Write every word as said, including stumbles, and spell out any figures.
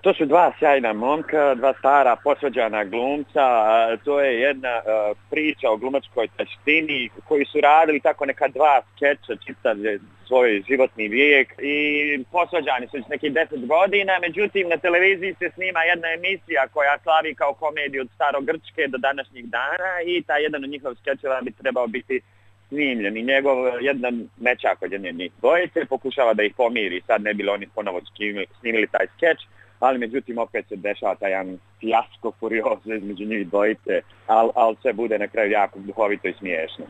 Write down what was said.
To su dva sjajna momka, dva stara posvađana glumca. To je jedna priča o glumačkoj taštini koji su radili tako neka dva skeča čitav svoj životni vijek i posvađani su nekih deset godina. Međutim, na televiziji se snima jedna emisija koja slavi kao komediju od starogrčke do današnjih dana i taj jedan od njihovih skečeva bi trebao biti snimljen i njegov jedan mečak od jedne njih dvojice pokušava da ih pomiri. Sad ne bi li oni ponovo snimili taj skeč, ali međutim opet se dešava taj jedan fijasko furiozo između njih dvojice, ali al sve bude na kraju jako duhovito i smiješno.